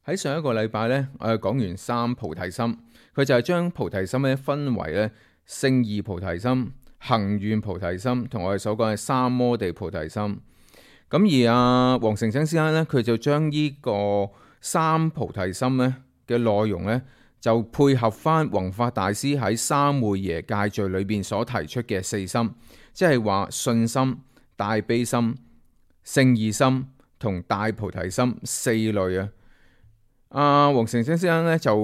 喺上一個禮拜咧，我哋講完三菩提心，佢就係將菩提心咧分為咧聖義菩提心、行願菩提心同我哋所講嘅三摩地菩提心。咁而黃成真先生咧，佢就將呢個三菩提心咧嘅內容咧，就配合翻弘法大師喺三昧耶戒序裏邊所提出嘅四心，即係話信心、大悲心、聖義心同大菩提心四類啊。黃成真先生咧就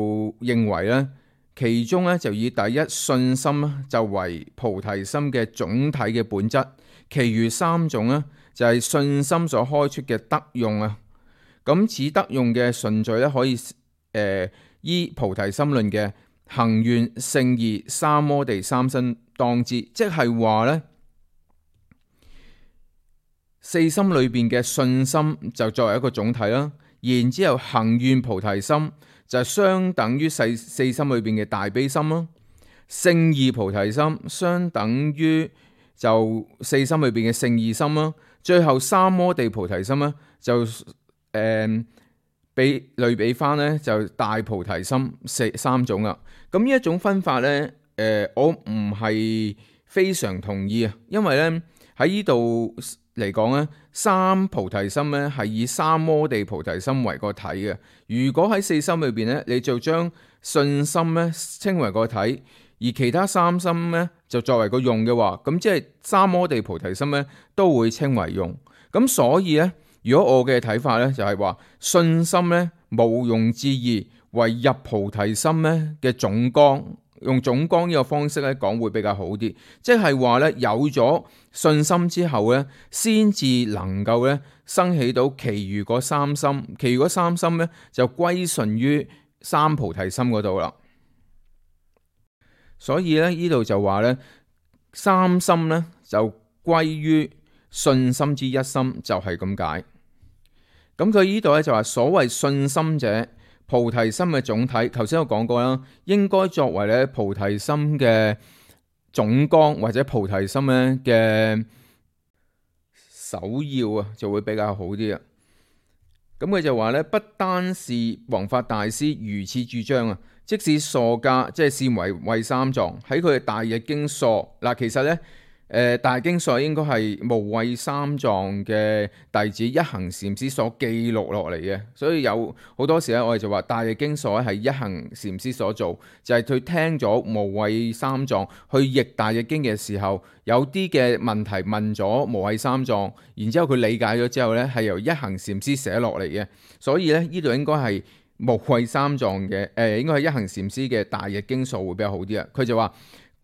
認為咧，其中咧就以第一信心就為菩提心嘅總體嘅本質，其餘三種咧就係信心所開出嘅德用啊。咁此德用嘅順序咧，可以依菩提心論嘅行願、聖義、三摩地三心當知，即係話咧四心裏邊嘅信心就作為一個總體啦。然之後行願菩提心就係相等於四心裏邊嘅大悲心啦，聖義菩提心相等於就四心裏邊嘅聖義心啦，最後三摩地菩提心咧就比類比翻咧就大菩提心三種啦。咁呢一種分法咧，我唔係非常同意啊，因為咧喺呢度嚟講咧，三菩提心咧係以三摩地菩提心為個體嘅。如果喺四心裏邊咧，你就將信心咧稱為個體，而其他三心咧就作為個用嘅話，咁即係三摩地菩提心咧都會稱為用。咁所以咧，如果我嘅睇法咧就係話信心咧毋庸置疑為入菩提心咧嘅總綱。用總綱呢個方式咧講會比較好啲，即係話咧有咗信心之後咧，先至能夠咧生起到其餘嗰三心，其餘嗰三心咧就歸順於三菩提心嗰度啦。所以咧呢度就話咧三心咧就歸於信心之一心，就係咁解。咁佢呢度咧就話所謂信心者，菩提心嘅總體，頭先我講過啦，應該作為咧菩提心嘅總綱或者菩提心咧嘅首要啊，就會比較好啲啊。咁佢就話咧，不單是弘法大師如此主張啊，即使疏家即係善為慧三藏喺佢嘅大日經疏嗱，其實咧。大經疏應該係無畏三藏嘅弟子一行禪師所記錄落嚟嘅，所以有好多時咧，我哋就話大日經疏係一行禪師所做，就係佢聽咗無畏三藏去譯大日經嘅時候，有啲嘅問題問咗無畏三藏，然之後佢理解咗之後咧，係由一行禪師寫落嚟嘅，所以咧呢度應該係無畏三藏嘅，應該係一行禪師嘅大日經疏會比較好啲啊。佢就話。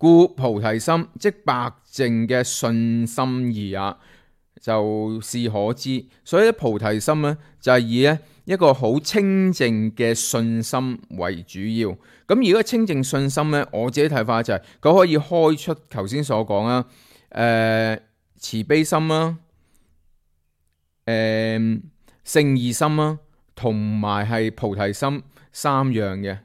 故菩提心即白淨嘅信心義也，就是可知。所以咧菩提心咧就係以咧一個好清淨嘅信心為主要。咁如果清淨信心咧，我自己睇法就係佢可以開出頭先所講啦，慈悲心啦，聖義心啦，同埋係菩提心三樣嘅。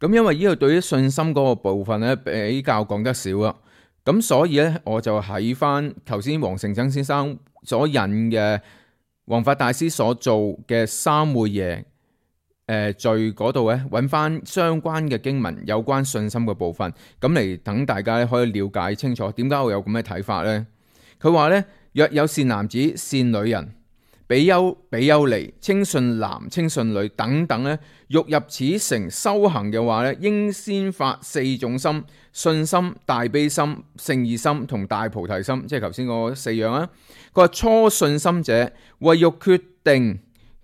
咁因為呢個對於信心嗰個部分咧比較講得少啦，咁所以咧我就喺翻頭先黃成真先生所引嘅弘法大師所做嘅三昧耶序嗰度咧揾翻相關嘅經文有關信心嘅部分，咁嚟等大家可以了解清楚點解我有咁嘅睇法呢？佢話咧，若有善男子、善女人、比丘、比丘尼、清信男、清信女等等咧，欲入此城修行嘅話咧，應先發四種心：信心、大悲心、聖義心同大菩提心，即係頭先嗰四樣啊。佢話初信心者，為欲決定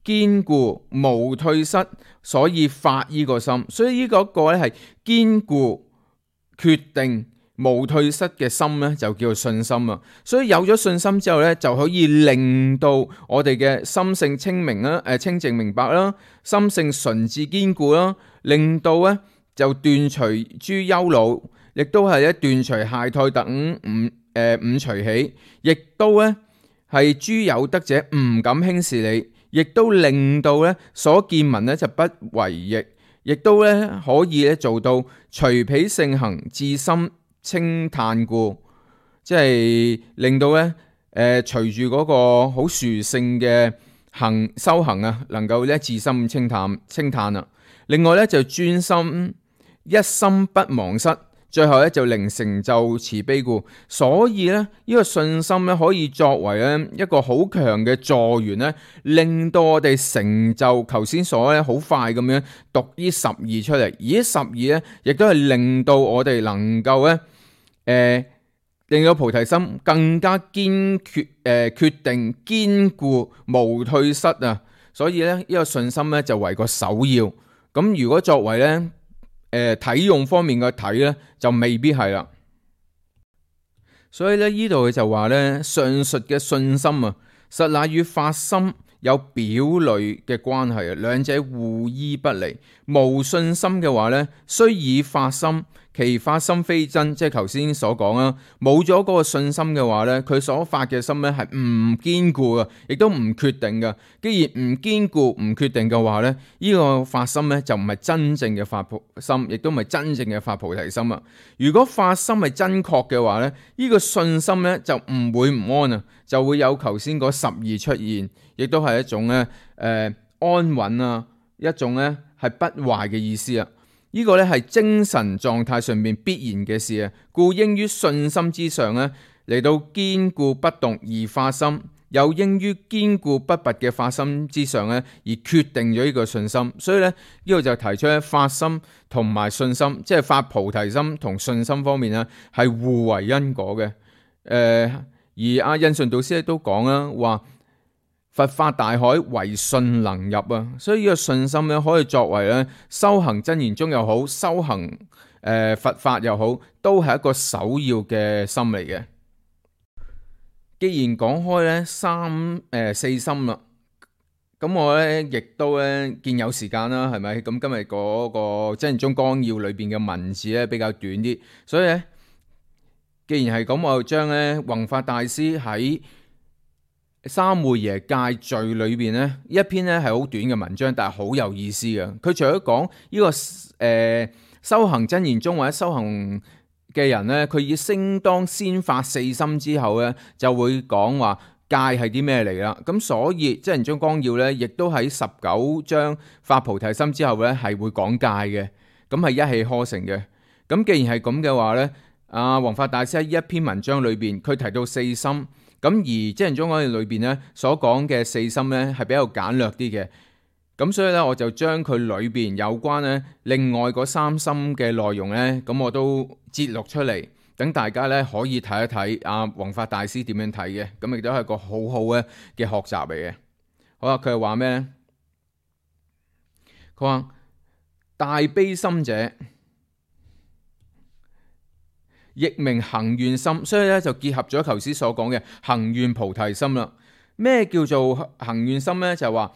堅固無退失，所以發呢個心。所以呢個咧係堅固決定無退失嘅心咧，就叫做信心啊！所以有咗信心之後咧，就可以令到我哋嘅心性清明啦，清淨明白啦，心性純智堅固啦，令到咧就斷除諸憂惱，亦都係咧斷除懈怠等五隨喜，亦都咧係諸有德者唔敢輕視你，亦都令到咧所見聞咧就不為逆，亦都咧可以咧做到隨彼性行，自心稱嘆故，即係令到咧隨住嗰個好殊勝嘅修行啊，能夠咧自心稱嘆啦。另外咧就專心一心不忘失，最後咧就令成就慈悲故。所以咧呢個信心咧可以作為咧一個好強嘅助緣咧，令到我哋成就頭先所咧好快咁樣讀呢12出嚟。而呢12咧亦都係令到我哋能夠咧令到菩提心更加堅決定堅固無退失啊。所以咧呢個信心咧就為個首要。咁如果作為咧體用方面嘅睇咧，就未必係啦。所以咧呢度佢就話咧，上述嘅信心啊，實乃與發心有表裏嘅關係啊，兩者互依不離。無信心嘅話咧，雖以發心，其發心非真，即係頭先所講啦。冇咗嗰個信心嘅話咧，佢所發嘅心咧係唔堅固嘅，亦都唔決定嘅。既然唔堅固、唔決定嘅話咧，呢個發心咧就唔係真正嘅發心，亦都唔係真正嘅發菩提心啊。如果發心係真確嘅話咧，呢個信心咧就唔會唔安啊，就會有頭先嗰12出現，亦都係一種咧安穩啊，一種咧係不壞嘅意思啊。呢個咧係精神狀態上面必然嘅事啊，故應於信心之上咧嚟到堅固不動而發心，又應於堅固不拔嘅發心之上咧而決定咗呢個信心。所以咧呢度就提出咧發心同埋信心，即係發菩提心同信心方面咧係互為因果嘅。而阿印順導師咧都講啦，話佛法大海唯信能入啊，所以呢個信心咧可以作為咧修行真言宗又好，修行佛法又好，都係一個首要嘅心嚟嘅。既然講開咧四心啦，咁我咧亦都咧見有時間啦，係咪？咁今日嗰個真言宗綱要裏邊嘅文字咧比較短啲，所以咧既然係咁，我就將咧弘法大師喺三昧耶戒序裏邊咧一篇咧係好短嘅文章，但係好有意思嘅。佢除咗講呢個修行真言宗或者修行嘅人咧，佢以應當先發四心之後咧，就會講話戒係啲咩嚟啦。咁所以真言宗綱要咧，亦都喺19章發菩提心之後咧係會講戒嘅，咁係一氣呵成嘅。咁既然係咁嘅話咧，弘法大師喺一篇文章裏邊，佢提到四心。咁而真言宗講裏邊咧所講嘅四心咧係比較簡略啲嘅，咁所以咧我就將佢裏邊有關咧另外嗰三心嘅內容咧，咁我都節錄出嚟，等大家咧可以睇一睇弘法大師點樣睇嘅，咁亦都係個好好嘅學習嚟嘅。好啦，佢係話咩咧？佢話大悲心者，亦名行願心，所以咧就結合咗頭先所講嘅行願菩提心啦。咩叫做行願心呢？就係話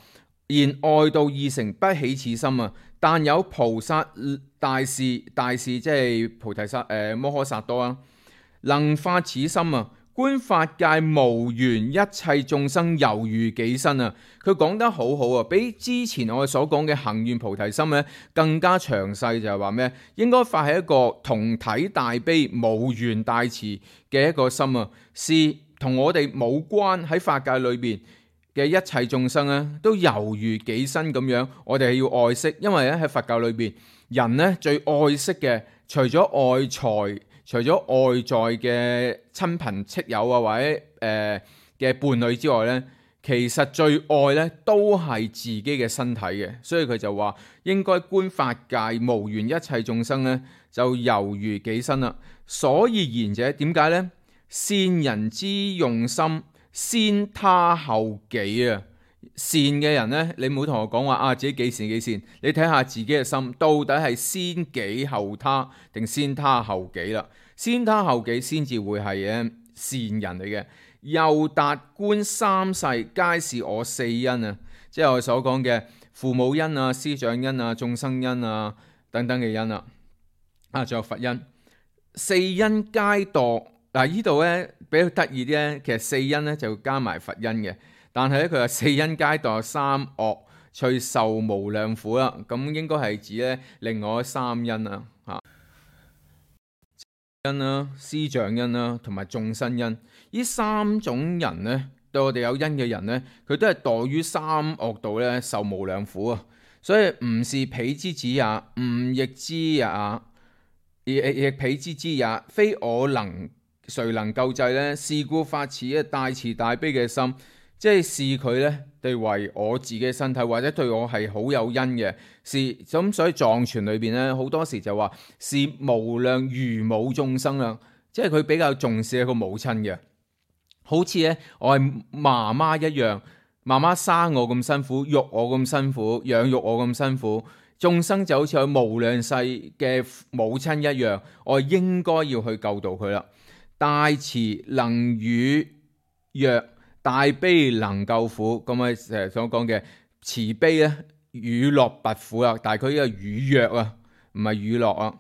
言外道二乘不起此心啊，但有菩薩大士即係菩提薩摩訶薩多啊，能發此心啊，觀法界無緣一切眾生猶如己身啊。佢講得好好啊，比之前我哋所講嘅行願菩提心咧更加詳細，就係話咩？應該發係一個同體大悲無緣大慈嘅一個心啊，是同我哋冇關，喺法界裏邊嘅一切眾生咧都猶如己身咁樣，我哋係要愛惜，因為咧喺佛教裏邊，人咧最愛惜嘅除咗外財，除咗外在嘅親朋戚友啊，或者嘅伴侶之外咧，其實最愛咧都係自己嘅身體嘅，所以佢就話應該觀法界無緣一切眾生咧，就猶如己身啦。所以賢者點解咧？善人之用心，先他後己啊！善嘅人咧，你唔好同我講話自己幾善幾善，你睇下自己嘅心到底係先己後他定先他後己啦？先他後己先至會係善人嚟嘅。又達觀三世皆是我四因啊，即係我所講嘅父母因啊、師長因啊、眾生因啊等等嘅因啦。仲有佛因，四因皆墮。呢度咧比較得意啲咧，其實四因咧就加埋佛因嘅，但係咧佢話四因皆墮三惡，隨受無量苦啦。咁應該係指咧另外三因啊，因啦、師長因啦同埋眾生因。呢三種人咧對我哋有恩嘅人呢，佢都係墮於三惡道呢，受無量苦啊！所以唔是彼之子也，吾亦知也，亦彼之知也，非我能，誰能救濟呢？是故發此大慈大悲嘅心，即係視佢呢對為我自己嘅身體，或者對我係好有恩嘅，是咁。所以藏傳裏邊呢，好多時就話是無量如母眾生啦，即係佢比較重視一個母親嘅，好似咧我係媽媽一樣，媽媽生我咁辛苦，育我咁辛苦，養育我咁辛苦，眾生就好似佢無量世嘅母親一樣，我應該要去救度佢啦。大慈能與弱，大悲能救苦。咁啊，成日所講嘅慈悲咧，與樂拔苦啊，但係佢呢個與弱啊，唔係與樂啊。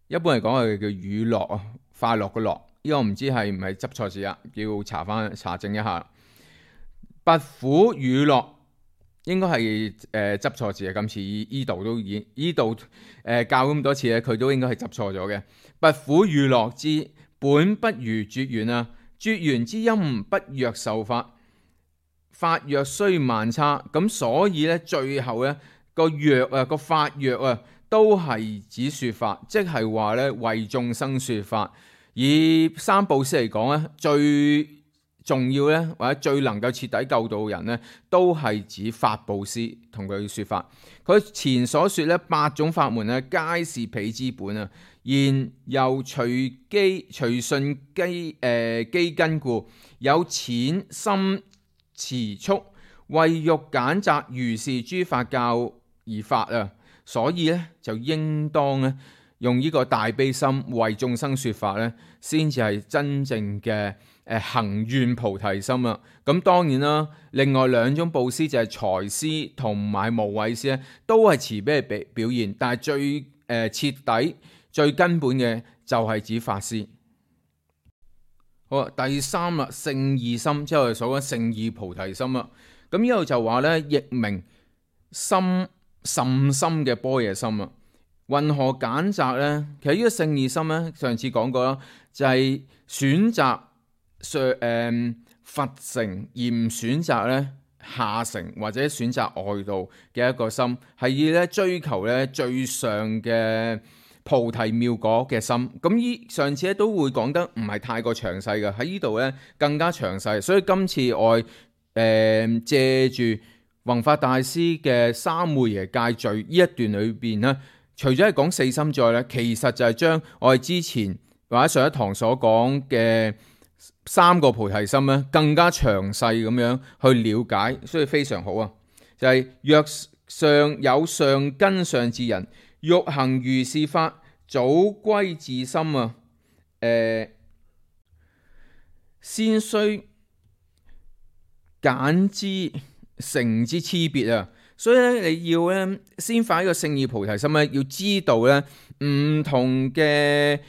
一般嚟講係叫與樂啊，快樂嘅樂。呢個唔知係唔係執錯字啊，要查證一下。拔苦與樂應該係執錯字啊。今次依度都已依度教咁多次咧，佢都應該係執錯咗嘅。拔苦與樂之本不如絕緣啊！絕緣之音不若受法，法若雖萬差，咁所以咧最後咧個藥啊個法藥啊都係指說法，即係話咧為眾生說法。以三布施嚟講咧，最重要咧或者最能夠徹底救度人咧，都係指法布施同佢說法。佢前所說咧8種法門咧，皆是彼之本啊。然又隨順機根故，有淺深遲速，為欲簡擇如是諸法教而發啊！所以咧就應當咧用呢個大悲心為眾生說法咧，先至係真正嘅行願菩提心啊！咁當然啦，另外2種布施就係財施同埋無畏施咧，都係慈悲嘅表現，但係最徹底。最根本嘅就係指法施。好啊，第3啦，勝義心，即係我哋所講勝義菩提心啦。咁呢度就話咧，亦名深甚深嘅般若心啊。云何揀擇咧？其實呢個勝義心咧，上次講過啦，就係選擇佛乘而唔選擇咧下乘或者選擇外道嘅一個心，係以咧追求咧最上嘅菩提妙果嘅心。咁上次咧都會講得唔係太過詳細嘅，喺呢度咧更加詳細。所以今次我借住弘法大師嘅三昧耶戒序呢一段裏邊咧，除咗係講4心之外咧，其實就係將我哋之前或者上一堂所講嘅3個菩提心咧，更加詳細咁樣去了解，所以非常好啊！就係若上有上根上智人，欲行如是法，早歸自心啊！先須揀之成之差別啊！所以咧，你要咧先發一個勝義菩提心咧，要知道咧唔同嘅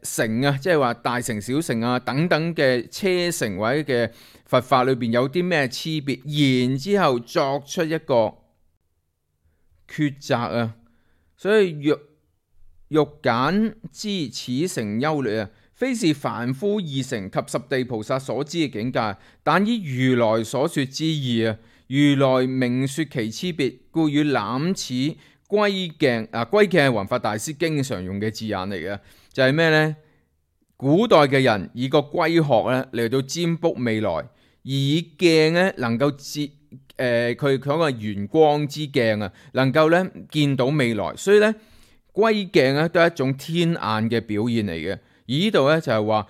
乘啊，即係話大乘、小乘啊等等嘅車乘或者嘅佛法裏邊有啲咩差別，然之後作出一個抉擇啊！所以欲揀之此乘優劣啊，非是凡夫二乘及十地菩薩所知嘅境界，但依如來所說之義啊。如來明說其差別，故與攬此歸鏡啊。歸鏡係弘法大師經常用嘅字眼嚟嘅，就係咩呢？古代嘅人以個龜殼咧嚟到占卜未來，而以鏡咧能夠佢講嘅圓光之鏡啊，能夠咧見到未來，所以咧龜鏡咧都係一種天眼嘅表現嚟嘅。而呢度咧就係話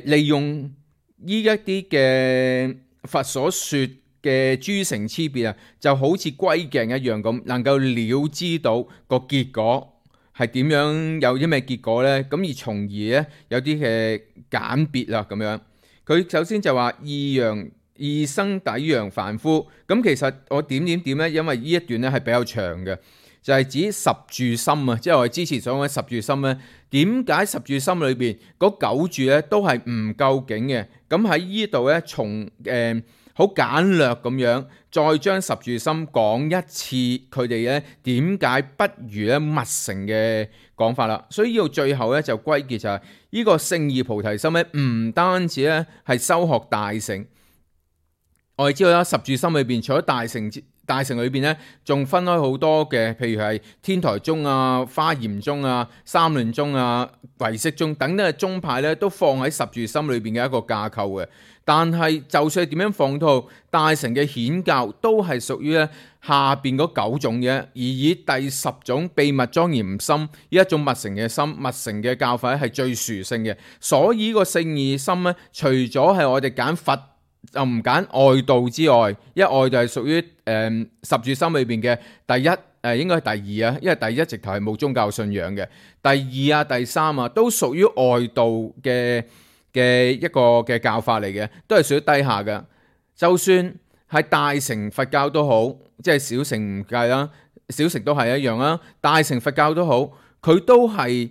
利用呢一啲嘅佛所說嘅諸乘差別啊，就好似龜鏡一樣咁，能夠了知到個結果係點樣，有啲咩結果呢？咁而從而咧有啲嘅簡別啦咁樣。佢首先就話異生抵揚凡夫。咁其實我點呢？因為呢一段咧係比較長嘅，就係指十住心啊，即係我哋之前所講嘅十住心咧。點解十住心裏邊嗰9住咧都係唔究竟嘅？咁喺呢度咧從好簡略咁樣，再將十住心講一次，佢哋咧點解不如咧密乘嘅講法啦。所以呢度最後咧就歸結就係呢個聖義菩提心咧，唔單止咧係修學大乘。我哋知道啦，十住心裏邊除咗大乘裏邊咧，仲分開好多嘅，譬如係天台宗啊、華嚴宗啊、三論宗啊、唯識宗等等嘅宗派咧，都放喺十住心裏邊嘅一個架構嘅。但係就算係點樣放到大乘嘅顯教，都係屬於咧下邊嗰9種嘅，而以第10種秘密莊嚴心呢一種密乘嘅心、密乘嘅教法咧係最殊勝嘅。所以呢個聖義心咧，除咗係我哋揀佛就唔揀外道之外，一外道係屬於十住心裏邊嘅第一，應該係第二啊，因為第一直頭係冇宗教信仰嘅，第二啊、第三啊都屬於外道嘅一個嘅教法嚟嘅，都係屬於低下嘅。就算係大乘佛教都好，即係小乘唔計啦，小乘都係一樣啦。大乘佛教都好，佢都係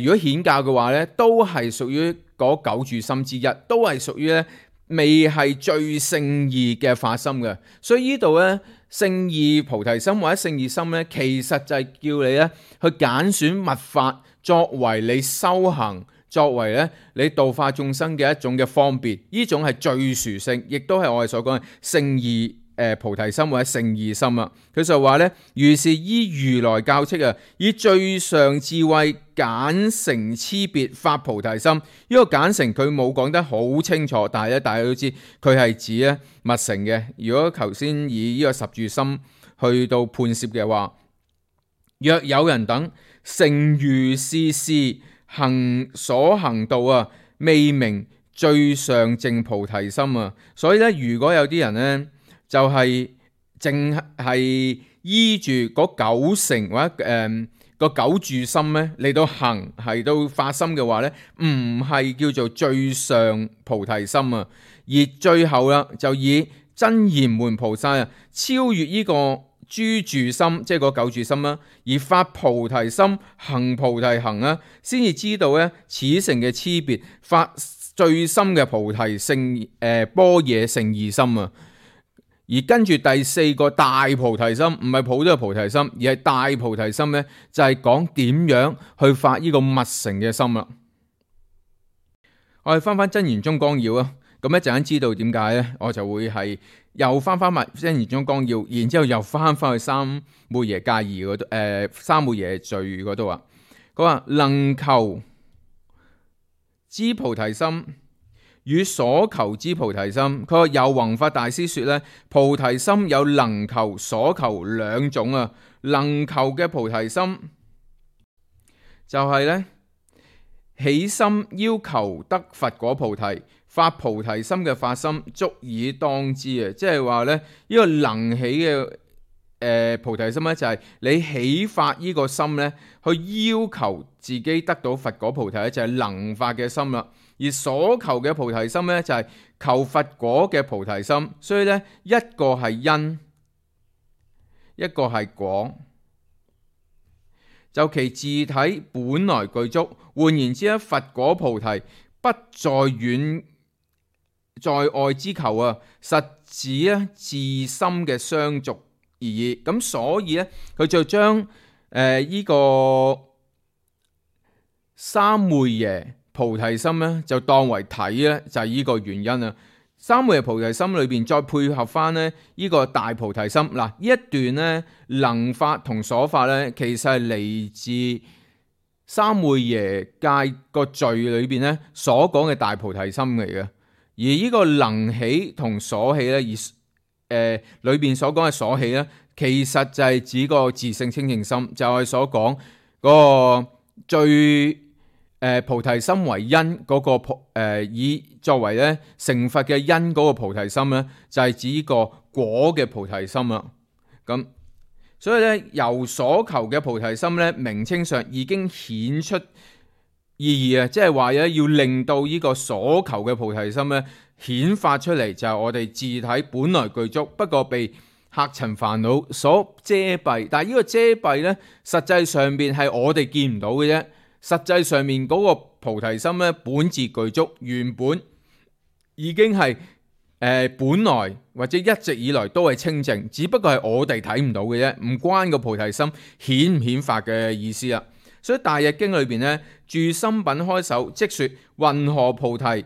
如果顯教嘅話咧，都係屬於嗰9住心之一，都係屬於咧未係最聖義嘅發心嘅。所以呢度咧聖義菩提心或者聖義心咧，其實就係叫你咧去揀選密法作為你修行，作為咧你度化眾生嘅一種嘅方便，呢種係最殊勝，亦都係我哋所講嘅聖義菩提心或者聖義心啊。佢就話咧，如是依如來教敕啊，以最上智慧簡成差別發菩提心。呢個簡成佢冇講得好清楚，但係咧大家都知佢係指咧密乘嘅。如果頭先以呢個十住心去到判攝嘅話，若有人等成如是事行所行道啊，未明最上淨菩提心啊。所以咧，如果有啲人咧就係淨係依住嗰9乘或者個9住心咧嚟到行，係到發心嘅話咧，唔係叫做最上菩提心啊。而最後啦，就以真言門菩薩啊，超越呢個諸住心，即係嗰9住心啦，而發菩提心，行菩提行啊，先至知道咧此乘嘅差別，發最深嘅菩提聖般若聖義心啊。而跟住第4個大菩提心，唔係普通嘅菩提心，而係大菩提心咧，就係講點樣去發呢個密乘嘅心啦。我哋翻真言宗綱要啊，咁一陣間知道點解咧，我就會係又翻埋真言宗綱要，然之後又翻去三昧耶戒儀嗰度，三昧耶罪嗰度啊。佢話能求之菩提心與所求之菩提心，佢話有弘法大師說咧，菩提心有能求、所求2種啊。能求嘅菩提心就係咧起心要求得佛果菩提，發菩提心嘅發心足以當知啊。即係話咧呢個能起嘅菩提心咧，就係你起發呢個心咧，去要求自己得到佛果菩提咧，就係能發嘅心啦。而所求嘅菩提心咧，就係求佛果嘅菩提心。所以咧，一個係因，一個係果，就其自體本來具足。換言之咧，佛果菩提不在遠在外之求啊，實指咧自心嘅相續而已。咁所以咧，佢就將呢個三昧耶菩提心咧，就當為體咧，就係呢個原因啊。三昧耶菩提心裏邊再配合翻咧呢個大菩提心。嗱，呢一段咧能法同所法咧，其實係嚟自三昧耶戒個序裏邊咧所講嘅大菩提心嚟嘅。而呢個能起同所起咧，而裏邊所講嘅所起咧，其實就係指個自性清淨心，就係所講嗰個最菩提心為因嗰個以作為咧成佛嘅因嗰個菩提心咧，就係指呢個果嘅菩提心啦。咁所以咧，由所求嘅菩提心咧，名稱上已經顯出意義啊，即係話咧要令到呢個所求嘅菩提心咧顯發出嚟，就係我哋自體本來具足，不過被客塵煩惱所遮蔽。但係呢個遮蔽咧，實際上邊係我哋見唔到嘅啫。實際上面嗰個菩提心咧，本自具足，原本已經係本來或者一直以來都係清淨，只不過係我哋睇唔到嘅啫，唔關個菩提心顯唔顯發嘅意思啦。所以大日經裏邊呢，住心品開首即說云何菩提為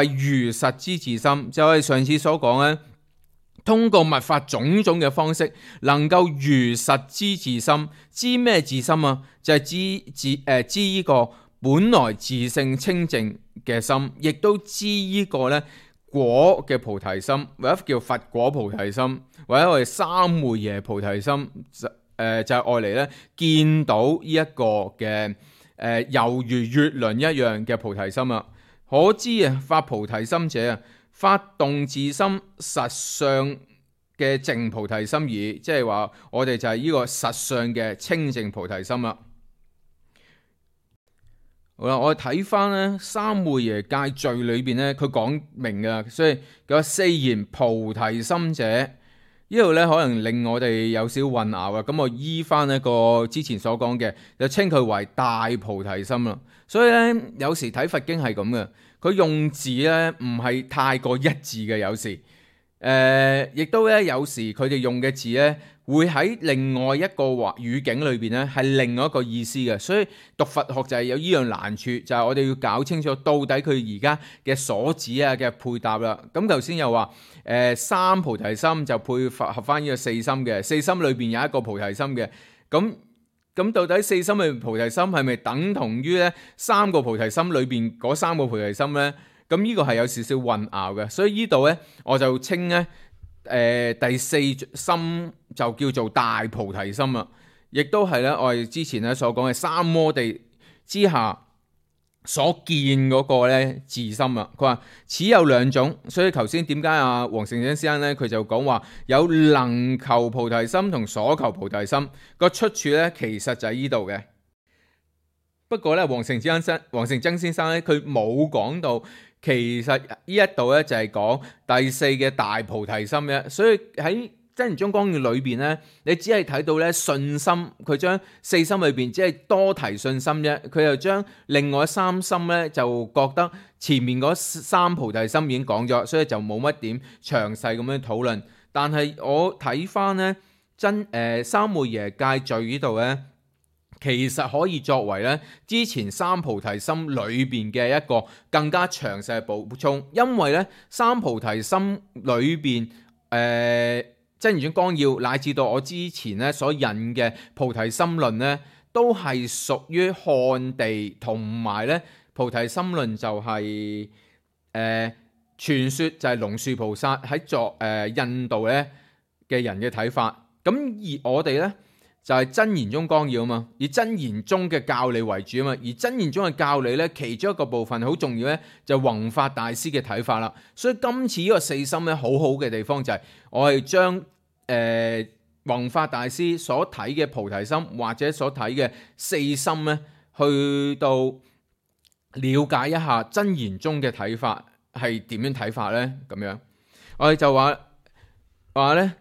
如實之自心，就係上次所講呢，通過密法種種嘅方式，能夠如實知自心。知咩自心啊？就係知呢個本來自性清淨嘅心，亦都知呢個呢果嘅菩提心，或者叫佛果菩提心，或者我哋三昧耶菩提心，就係愛嚟咧見到呢一個嘅猶如月輪一樣嘅菩提心啊！可知啊，發菩提心者啊，發動自心實相嘅淨菩提心耳，即係話我哋就係呢個實相嘅清淨菩提心啦。好啦，我哋睇翻咧三昧耶戒序裏邊咧，佢講明嘅，所以佢話四言菩提心者，呢度咧可能令我哋有少混淆啊。咁我依翻一個之前所講嘅，就稱佢為大菩提心啦。所以咧，有時睇佛經係咁嘅，佢用字咧唔係太過一致嘅，有時亦都咧有時佢哋用嘅字咧，會喺另外一個語境裏邊咧係另外一個意思嘅，所以讀佛學就係有呢樣難處，就係我哋要搞清楚到底佢而家嘅所指啊嘅配搭啦。咁頭先又話三菩提心就配合翻呢個四心嘅，四心裏邊有一個菩提心嘅，咁到底四心裏邊菩提心係咪等同於咧三個菩提心裏邊嗰三個菩提心咧？咁呢個係有少少混淆嘅，所以呢度咧我就稱咧第四心就叫做大菩提心啦，亦都係咧我哋之前咧所講嘅三摩地之下所見嗰個咧自心啊。佢話此有兩種，所以頭先點解阿黃成真先生咧佢就講話有能求菩提心同所求菩提心個出處咧，其實就喺呢度嘅。不過咧，黃成真先生咧佢冇講到。其實呢一度咧就係講第四嘅大菩提心嘅，所以喺真言宗綱要裏邊咧，你只係睇到咧信心，佢將四心裏邊只係多提信心啫，佢又將另外三心咧就覺得前面嗰三菩提心已經講咗，所以就冇乜點詳細咁樣討論。但係我睇翻咧三昧耶戒序呢度咧。其實可以作為咧之前三菩提心裏邊嘅一個更加詳細嘅補充，因為咧三菩提心裏邊真言宗綱要乃至到我之前咧所引嘅菩提心論咧，都係屬於漢地同埋咧菩提心論就係傳說就係龍樹菩薩喺印度咧嘅人嘅睇法，咁而我哋咧。就係真言宗綱要啊嘛，以真言宗嘅教理為主啊嘛，而真言宗嘅教理咧，其中一個部分好重要咧，就弘法大師嘅睇法啦。所以今次呢個四心咧，好好嘅地方就係我係將弘法大師所睇嘅菩提心或者所睇嘅四心咧，去到了解一下真言宗嘅睇法係點樣睇法咧？咁樣我哋就話咧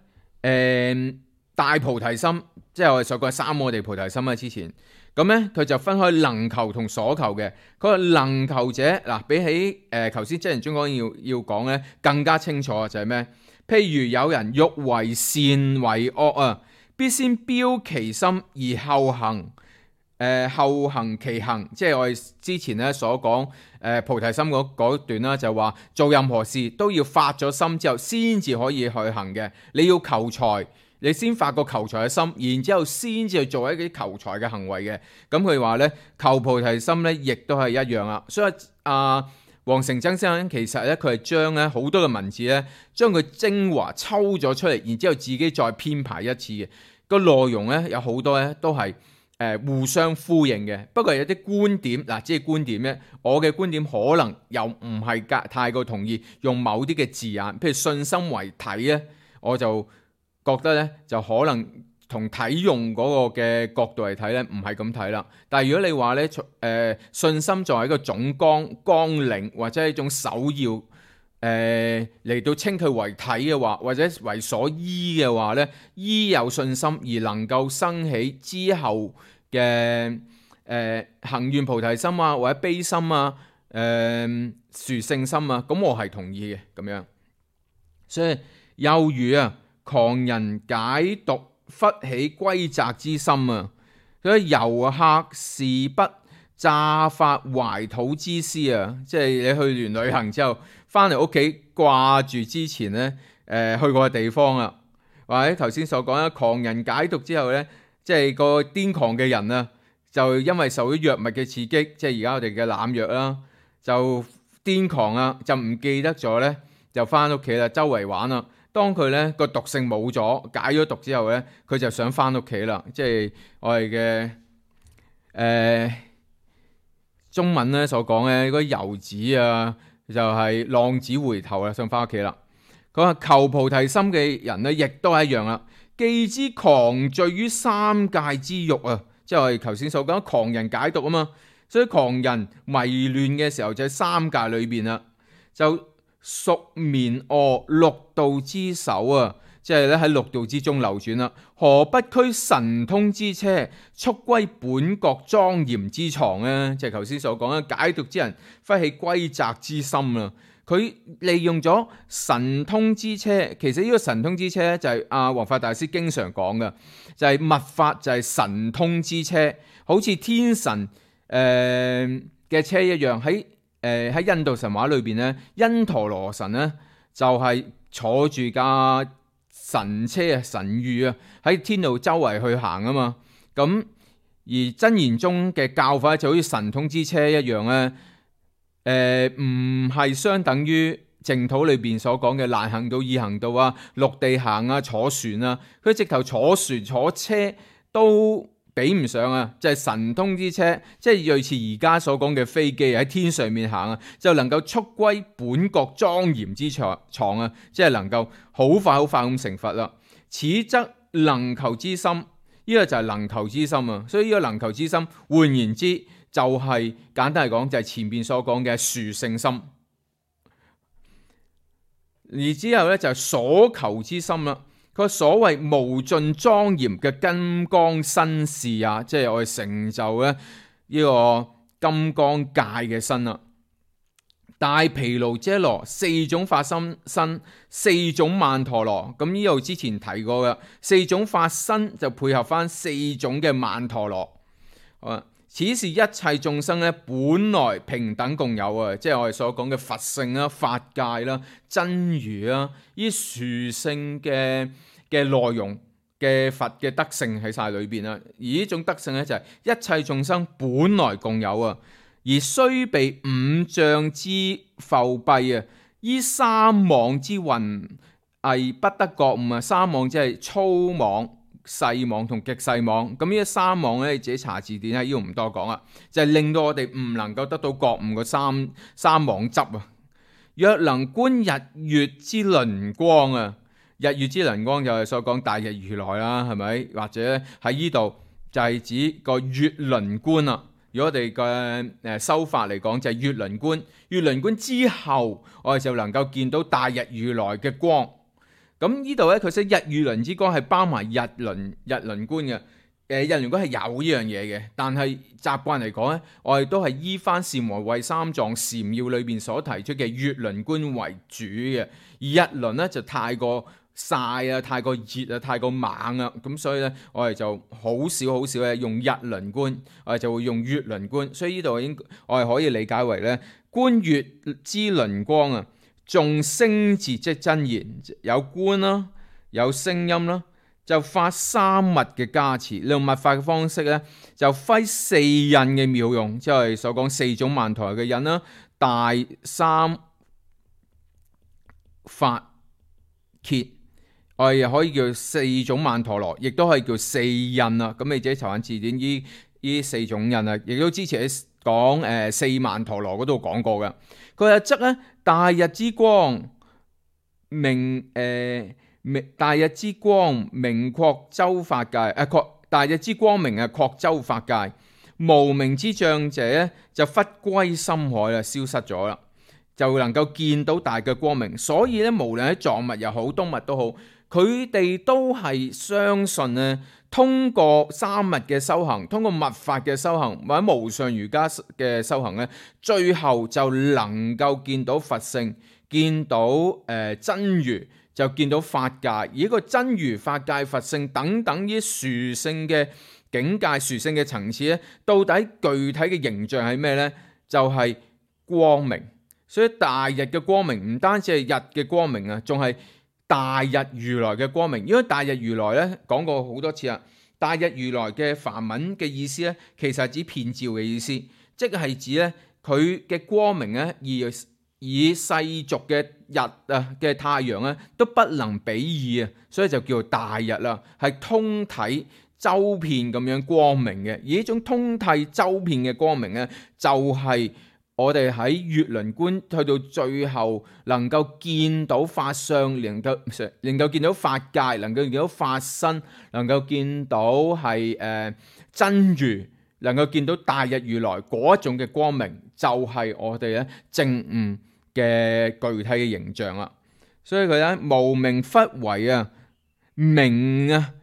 大菩提心。即係我哋所講三摩地菩提心啊，之前咁咧，佢就分開能求同所求嘅。佢話能求者嗱，比起頭先真言宗綱要講咧，更加清楚就係咩？譬如有人欲為善為惡啊，必先標其心而後行其行。即係我哋之前咧所講菩提心嗰段啦，就話做任何事都要發咗心之後，先至可以去行嘅。你要求財。你先發個求財嘅心，然之後先至去做一啲求財嘅行為嘅。咁佢話咧，求菩提心咧，亦都係一樣啦。所以黃成真先生其實咧，佢係將咧好多嘅文字咧，將佢精華抽咗出嚟，然之後自己再編排一次嘅。個內容咧有好多咧都係互相呼應嘅。不過有啲觀點嗱，即係觀點咧，我嘅觀點可能又唔係太過同意用某啲嘅字眼，譬如信心為體咧，我就覺得咧就可能同體用嗰個嘅角度嚟睇咧，唔係咁睇啦。但係如果你話咧，信心作為一個總綱領或者係一種首要，嚟到稱佢為體嘅話，或者為所依嘅話咧，依有信心而能夠生起之後嘅行願菩提心啊，或者悲心啊，殊勝心啊，咁我係同意嘅咁樣。所以又如狂人解毒，忽起歸宅之心啊！所以遊客是不乍發懷土之思啊！即係你去完旅行之後，翻嚟屋企掛住之前咧，去過嘅地方啊，或者頭先所講狂人解毒之後咧，即係個癲狂嘅人啊，就因為受咗藥物嘅刺激，即係而家我哋嘅濫藥啦，就癲狂啊，就唔記得咗咧，就翻屋企啦，周圍玩啦。當佢咧個毒性冇咗，解咗毒之後咧，佢就想翻屋企啦。即係我哋嘅中文咧所講嘅嗰啲遊子啊，就係浪子回頭啦，想翻屋企啦。佢話求菩提心嘅人咧，亦都係一樣啦。既知狂醉於三界之欲啊，即係我哋頭先所講狂人解毒啊嘛。所以狂人迷亂嘅時候就喺三界裏邊啦，就熟眠臥六道之首啊，即係咧喺六道之中流轉啦。何不驅神通之車，速歸本國莊嚴之床咧？即係頭先所講嘅解毒之人忽起歸宅之心啦。佢利用咗神通之車，其實呢個神通之車咧就係弘法大師經常講嘅，就係密法就係神通之車，好似天神嘅車一樣。喺印度神話裏邊咧，因陀羅神咧就係坐住架神車啊、神諭啊，喺天度周圍去行啊嘛。咁而真言中嘅教法就好似神通之車一樣咧，唔係相等於淨土裏邊所講嘅難行道、易行道啊、陸地行啊、坐船啊，佢直頭坐船坐車都比唔上啊！就係神通之車，即係類似而家所講嘅飛機喺天上面行啊，就能夠速歸本國莊嚴之床啊，即係能夠好快咁成佛啦。此則能求之心，呢個就係能求之心啊！所以呢個能求之心，換言之就係簡單嚟講，就係前邊所講嘅殊勝心。而之後咧就係所求之心啦。佢所謂無盡莊嚴嘅金剛身事啊，即係我哋成就咧呢個金剛界嘅身啦。大毗盧遮羅四種法身，四種曼陀羅。咁呢度之前提過嘅四種法身就配合翻四種嘅曼陀羅。此是一切眾生咧本來平等共有啊，即係我哋所講嘅佛性啦、法界啦、真如啦，呢殊勝嘅內容嘅佛嘅德性喺晒裏邊啦。而呢種德性咧就係一切眾生本來共有啊，而雖被五障之覆蔽啊，依三網之雲翳不得覺悟啊。三網即係粗網、細網同極細網。咁呢三網咧，你自己查字典喺呢度唔多講啦，就係令到我哋唔能夠得到覺悟嘅三網執啊。若能觀日月之輪光啊，日月之輪光就係所講大日如來啦，係咪？或者喺呢度就係指個月輪觀啦。如果我哋嘅修法嚟講，就係月輪觀。月輪觀之後，我哋就能夠見到大日如來嘅光。咁呢度咧，佢寫日月輪之光係包埋日輪觀嘅。日輪觀係有呢樣嘢嘅，但係習慣嚟講咧，我哋都係依翻禪和慧三藏禪要裏邊所提出嘅月輪觀為主嘅。而日輪咧就太過曬啊，太過熱啊，太過猛啊，咁所以咧我哋就好少咧用日輪觀，我哋就會用月輪觀。所以呢度我哋可以理解為咧，觀月之輪光啊，眾聲節即真言，有觀啦，有聲音啦，就發三密嘅加持。用密法嘅方式咧，就揮四印嘅妙用，即係所講四種曼陀羅嘅印啦，大三法羯。我哋又可以叫四種曼陀羅，亦都可以叫四印啊。咁你自己查下字典，呢四種印啊，亦都之前喺講四曼陀羅嗰度講過嘅。佢話則咧大日之光大日之光明擴周法界，大日之光明擴周法界，無明之障者咧就忽歸深海啦，消失咗啦，就能夠見到大嘅光明。所以咧，無論喺藏密又好，東密都好，佢哋都係相信咧，通過三密嘅修行，通過密法嘅修行，或者無上瑜伽嘅修行咧，最後就能夠見到佛性，見到真如，就見到法界，而一個真如、法界、佛性等等呢殊勝嘅境界、殊勝嘅層次咧，到底具體嘅形象係咩呢？就係光明。所以大日嘅光明唔單止係日嘅光明啊，仲係大日如來嘅光明。因為大日如來咧講過好多次啦，大日如來嘅梵文嘅意思咧，其實係指遍照嘅意思，即係指咧佢嘅光明咧，而以世俗嘅日啊嘅太陽咧都不能比擬啊，所以就叫做大日啦，係通體周遍咁樣光明嘅。而呢種通體周遍嘅光明咧，就係我哋喺月輪觀去到最後能夠見到法相，能夠見到法界，能夠見到法身，能夠見到係真如，能夠見到大日如來嗰一種嘅光明，就係我哋咧證悟嘅具體嘅形象啦。所以佢咧無明忽為啊明啊，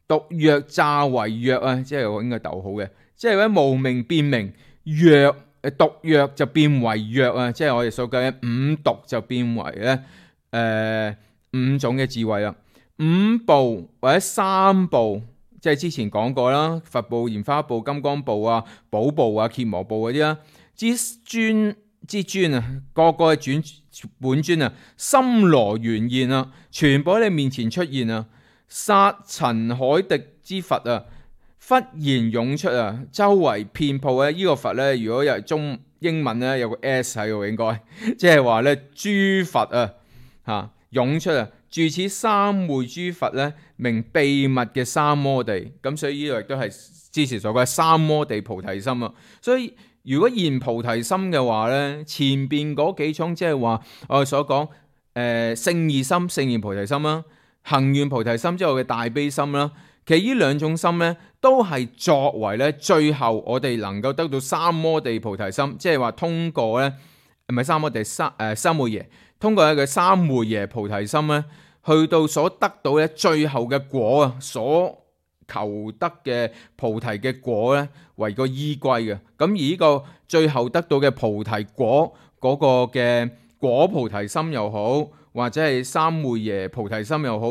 獨若詐為若啊，即係我應該逗號嘅，即係咧無明變明，若獨若就變為若啊，即係我哋所講嘅五獨就變為咧五種嘅智慧啦。五部或者三部，即係之前講過啦，佛部、蓮花部、金剛部啊、寶部啊、羯磨部嗰啲啦，之尊啊，個個係本尊啊，森羅圓現啊，全部喺你面前出現啊，剎塵海滴之佛啊，忽然湧出啊，周圍遍布咧。呢個佛咧，如果又係英文咧，有個 S 喺度，應該即係話咧諸佛啊湧出啊，住此三昧諸佛咧，名秘密嘅三摩地。咁所以呢個亦都係之前所講嘅三摩地菩提心啊。所以如果現菩提心嘅話咧，前邊嗰幾種即係話我哋所講勝義心、勝義菩提心啦，行願菩提心之後嘅大悲心啦，其實呢兩種心咧都係作為咧最後我哋能夠得到三摩地菩提心，即係話通過咧唔係三摩地三昧耶，通過一個三昧耶菩提心咧，去到所得到咧最後嘅果啊，所求得嘅菩提嘅果咧為個依歸嘅。咁而呢個最後得到嘅菩提果嗰個嘅果菩提心又好，或者係三昧耶菩提心又好，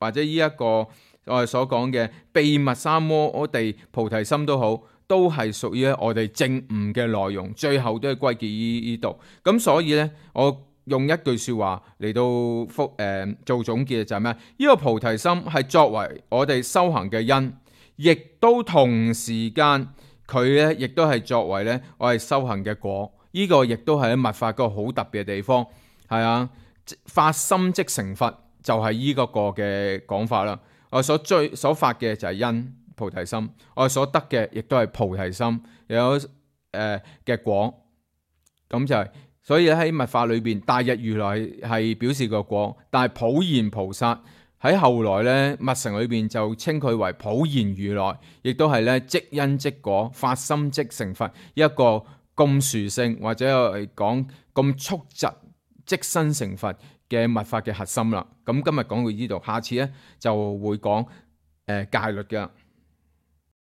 或者呢一個我哋所講嘅秘密三摩地菩提心都好，都係屬於我哋證悟嘅內容，最後都係歸結於呢度。咁所以咧，我用一句說話嚟到做總結就係咩？呢個菩提心係作為我哋修行嘅因，亦都同時間佢咧亦都係作為咧我哋修行嘅果。呢個亦都係喺密法個好特別嘅地方，係啊，發心即成佛就係呢個嘅講法啦。我所發嘅就係因菩提心，我所得嘅亦都係菩提心，有嘅果。咁就係，所以喺密法裏邊，大日如來係表示個果，但係普賢菩薩喺後來咧密乘裏邊就稱佢為普賢如來，亦都係咧即因即果，發心即成佛，一個咁殊勝或者我哋講咁速疾即身成佛嘅密法嘅核心啦。咁今日講到呢度，下次咧就會講戒律嘅。